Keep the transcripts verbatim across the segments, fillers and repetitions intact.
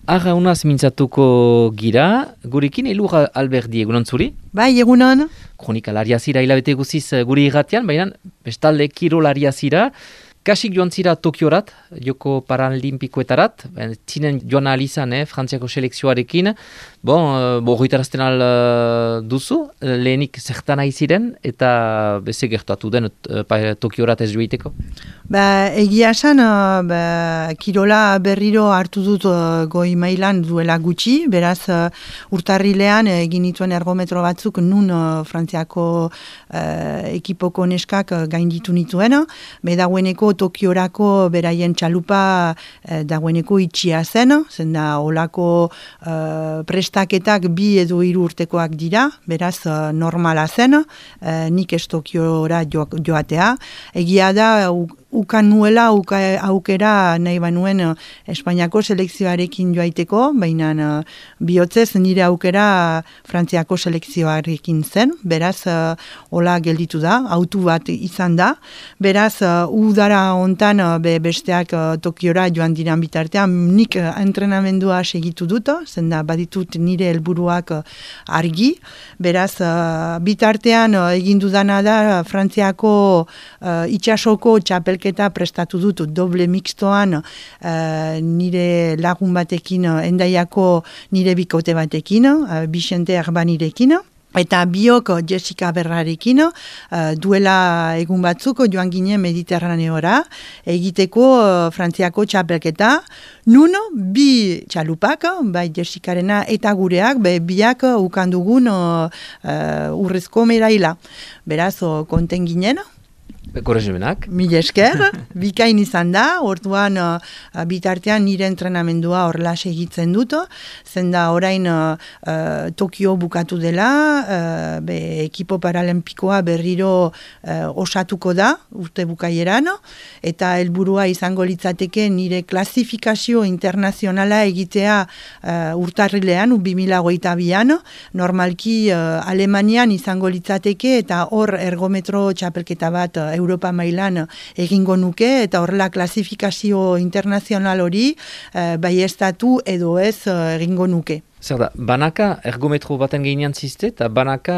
Arraunaz mintzatuko gira, gurekin Elur Alberdi egunon zuri? Bai, egunon. Kronikalaria zira hilabete guziz guri irratian, baina bestalde kirolaria zira. Kasik joan zira Tokiorat, Joko Paralimpikoetarat, zinen joan alizan, eh, Frantziako selekzioarekin. Bon, bo horretarazten al uh, duzu, lehenik zertan nahi ziren, eta beze gertatu den uh, Tokiorat ez joiteko? Ba, egia esan, uh, ba, kirola berriro hartu dut uh, goi mailan duela gutxi, beraz uh, urtarrilean egin dituen ergometro batzuk nun uh, Frantziako uh, ekipoko neskak uh, gainditu nituen, be dagoeneko Tokiorako beraien txalupa uh, dagoeneko itxia zen, zen da olako uh, prestaketak bi edo hiru urtekoak dira, beraz uh, normala zen, uh, nik ez Tokiora jo, joatea, egia da uh, ukan nuela uka, aukera nahi banuen uh, Espainiako selekzioarekin joaiteko, baina uh, bihotzez nire aukera Frantziako selekzioarekin zen, beraz uh, hola gelditu da, autu bat izan da, beraz uh, udara hontan uh, be besteak uh, Tokiora joan diran bitartean, nik uh, entrenamendua segitu dut, zen da baditut nire helburuak uh, argi, beraz uh, bitartean uh, egin dudana da Frantziako uh, itxasoko txapelketa eta prestatu dut doble mixtoan uh, nire lagun batekin, uh, endaiako nire bikote batekin, uh, Bixente Arbanirekin. Eta biok Jessica Berrarekin uh, duela egun batzuk joan ginen Mediterraneora egiteko uh, Frantziako txapelketa. Nun bi txalupak, bai Jessicarena eta gureak, be, biak ukandugun uh, uh, urrezko medaila. Beraz, uh, konten ginen. Korrezumenak. Mil esker, bikain izan da, orduan uh, bitartean nire entrenamendua horrela segitzen dut, zen da orain uh, uh, Tokio bukatu dela, uh, be, ekipo paralimpikoa berriro uh, osatuko da, urte bukaieran, eta helburua izango litzateke nire klasifikazio internazionala egitea uh, urtarrilean, bi mila hogeita bian, normalki uh, Alemanian izango litzateke, eta hor ergometro txapelketa bat uh, Europa mailan egingo nuke, eta horrela klasifikazio internazional hori eh, baiestatu edo ez eh, egingo nuke. Zer da, banaka ergometro baten gehinian zizte, eta banaka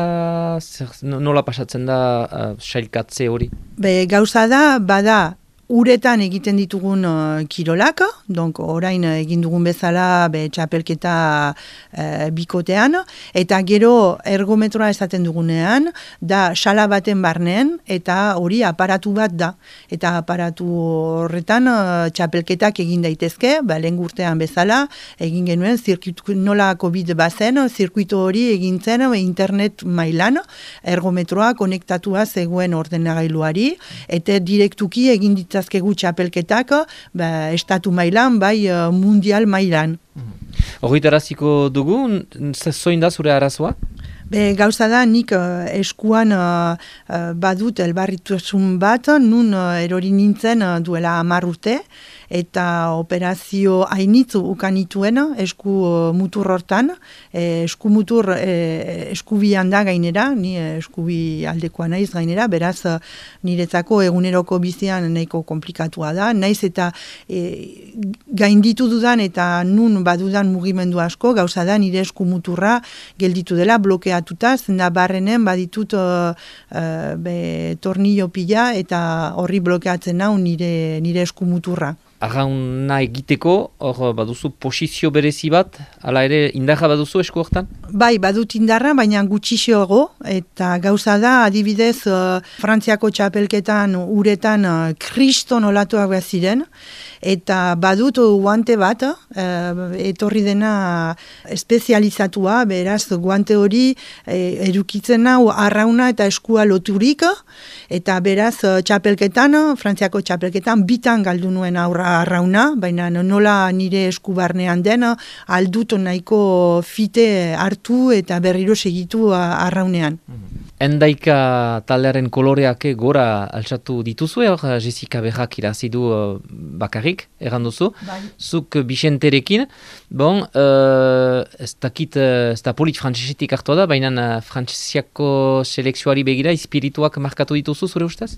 zer, nola pasatzen da uh, sailkatze hori? Be, gauza da, bada, uretan egiten ditugun uh, kirolak, donc orain egin dugun bezala be, txapelketa uh, bikotean, eta gero ergometroa esaten dugunean, da sala baten barnean, eta hori aparatu bat da. Eta aparatu horretan uh, txapelketak egin daitezke, ba, lehen urtean bezala, egin genuen, zirkuitu, nola COVID bazen, zirkuito hori egin zen internet mailan, ergometroa konektatua zegoen ordenagailuari, eta direktuki egin ditzen azkegu txapelketak, ba, estatu mailan, bai uh, mundial mailan. Horritaraziko dugu, zoin da zure arazoa? Be, gauza da, nik uh, eskuan uh, uh, badut elbarritasun bat, nun uh, erori nintzen uh, duela hamar urte, eta operazio hainitzu ukanituen esku uh, mutur hortan, e, esku mutur e, eskubian da gainera, ni eskubi aldekoa naiz gainera, beraz uh, niretzako eguneroko bizian nahiko komplikatua da, naiz eta e, gainditu dudan eta nun badudan mugimendu asko, gauza da nire esku muturra gelditu dela, blokeatuta, zenda barrenen baditut uh, uh, be, tornillo pila eta horri blokeatzen nau nire, nire esku muturra. Arrauna egiteko, hor baduzu posizio berezi bat, ala ere indarra baduzu esku hortan? Bai, badut indarra, baina gutxixoago, eta gauza da, adibidez, uh, Frantziako txapelketan uretan uh, kriston olatuak behar ziren, eta badut guante bat, uh, etorri dena espezializatua, beraz guante hori eh, edukitzen hau arrauna eta eskua loturik, eta beraz txapelketan, Frantziako txapelketan, bitan galdu nuen aurra arrauna, baina nola nire esku barnean den, aldut nahiko fite hartu eta berriro segitu arraunean. Endaika taldearen koloreak gora altxatu dituzue, hor Jessica Berrak irazidu uh, bakarrik, erran duzu. Bai. Zuk Bixenterekin, bon, uh, ez dakit, uh, ez da polit frantsesetik hartua da, baina uh, frantziako selekzioari begira, espirituak markatu dituzu, zure ustez?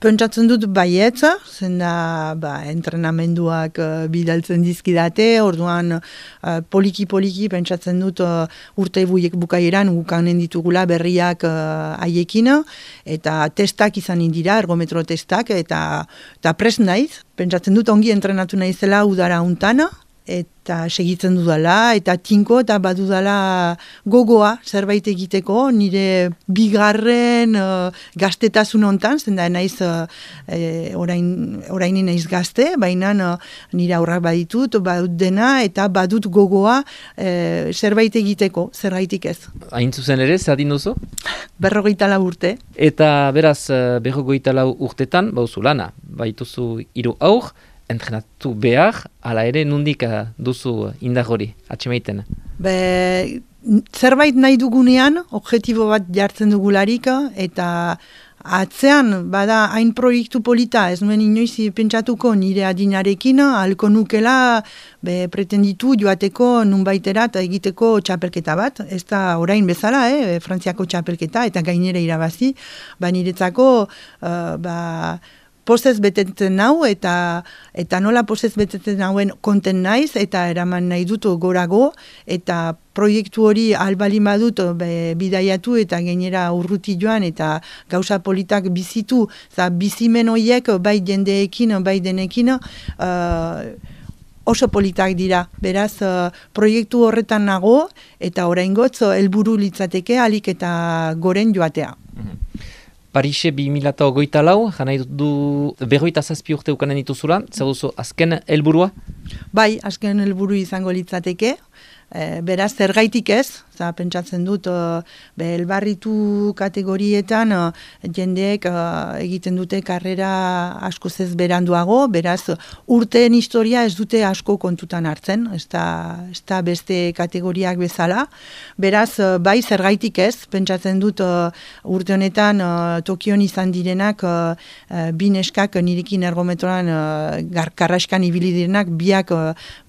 Pentsatzen dut baietz, zenda ba, entrenamenduak uh, bidaltzen dizkidate, orduan uh, poliki-poliki pentsatzen dut uh, urte buiek bukaieran gukanen ditugula berriak haiekin, eta testak izan indira, ergometro testak, eta, eta pres naiz, pentsatzen dut ongi entrenatu naizela udara untan, eta segitzen dudala, eta tinko, eta badudala gogoa zerbait egiteko, nire bigarren uh, gaztetasun hontan, zenda naiz uh, e, orain, orain naiz gazte, baina uh, nire aurrak baditut, badut dena, eta badut gogoa uh, zerbait egiteko, zerbaitik ez. Hain zuzen ere, zadin duzu? Berrogeita lau urte. Eta beraz, berrogeita lau urtetan, bauzu lana, baituzu hiru aur, entrenatu behar, ala ere nundik duzu indar hori, atxemaiten? Be, zerbait nahi dugunean, objektibo bat jartzen dugularik, eta atzean, bada, hain proiektu polita, ez nuen inoiz pentsatuko nire adinarekin, halko nukela be, pretenditu joateko nunbaiterat egiteko txapelketa bat, ez da orain bezala, eh, Frantziako txapelketa, eta gainera irabazi, ba niretzako, uh, ba, pozez betetzen nau, eta eta nola pozez betetzen nauen konten naiz, eta eraman nahi dut gorago, eta proiektu hori albalin badut be, bidaiatu, eta gainera urruti joan, eta gauza politak bizitu, za bizimen horiek bai jendeekin, bai denekin, uh, oso politak dira. Beraz, uh, proiektu horretan nago, eta oraingotz helburu litzateke alik eta goren joatea. Parise bi mila hogeita lau, jana du berroita zazpi urte ukanen dituzula, zer duzu azken helburua? Bai, azken helburu izango litzateke, e, beraz zergaitik ez, za pentsatzen dut, be, elbarritu kategorietan jendeek egiten dute karrera asko ez beranduago, beraz urteen historia ez dute asko kontutan hartzen, ez da, ez da beste kategoriak bezala, beraz bai zergaitik ez, pentsatzen dut urte honetan Tokion izan direnak, bi neskak nirekin ergometroan karraskan ibili direnak, biak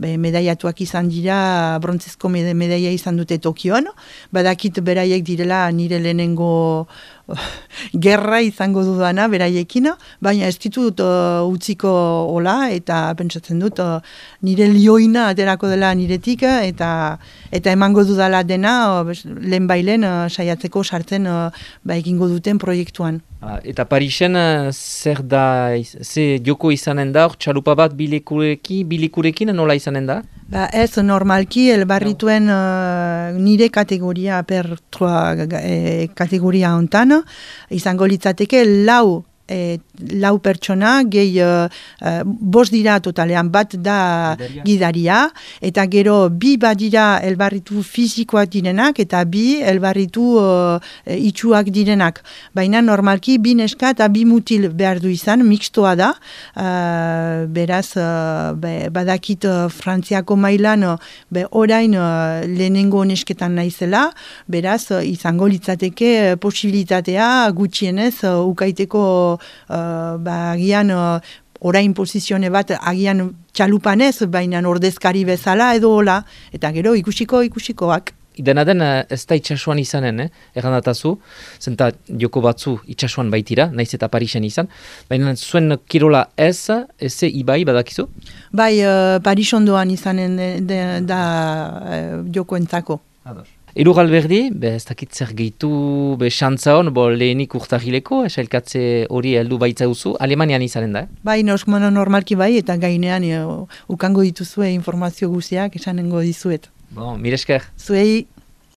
be, medaiatuak izan dira, brontzezko medaia izan dute Tokio. Badakit beraiek direla nire lehenengo gerra izango dudana beraiekin, baina ez ditut uh, utziko hola, eta pentsatzen dut uh, nire lioina aterako dela niretik, eta eta emango dudala dena uh, lehen bailen uh, saiatzeko sartzen uh, ba, egingo duten proiektuan. Eta Parisen zer da, ze joko izanen da, txalupa bat bilikurekin, bilikurekin nola izanen da? Ba ez, normalki, elbarrituen uh, nire kategoria per troa e, kategoria hontan, izango litzateke lau E, lau pertsona, gehi uh, uh, bost dira totalean, bat da gidaria. gidaria, eta gero bi badira elbarritu fizikoak direnak, eta bi elbarritu uh, itxuak direnak. Baina normalki bi neska eta bi mutil behar du izan, mixtoa da, uh, beraz uh, be, badakit uh, Frantziako mailan uh, be, orain uh, lehenengo nesketan naizela, beraz uh, izango litzateke uh, posibilitatea gutxienez uh, ukaiteko Uh, ba, agian uh, orain posizione bat agian txalupanez, baina ordezkari bezala edo hola, eta gero ikusiko ikusikoak. Dena den ez da itxasuan izanen, eh? Errandatazu, zenta joko batzu itxasuan baitira, naiz eta Parisen izan, baina zuen kirola ez, ez ibai badakizu? Bai, uh, Paris ondoan izanen de, de, da uh, joko entzako. Ados. Eru galberdi, be, ez dakit zer gehitu be xantza hon, bo lehenik urtahileko, esailkatze hori heldu baitza duzu, Alemanian izanen da, eh? Bai, normal, normalki bai, eta gainean uh, ukango dituzue informazio guziak esanengo dizuet. Bon, mire esker. Zuei.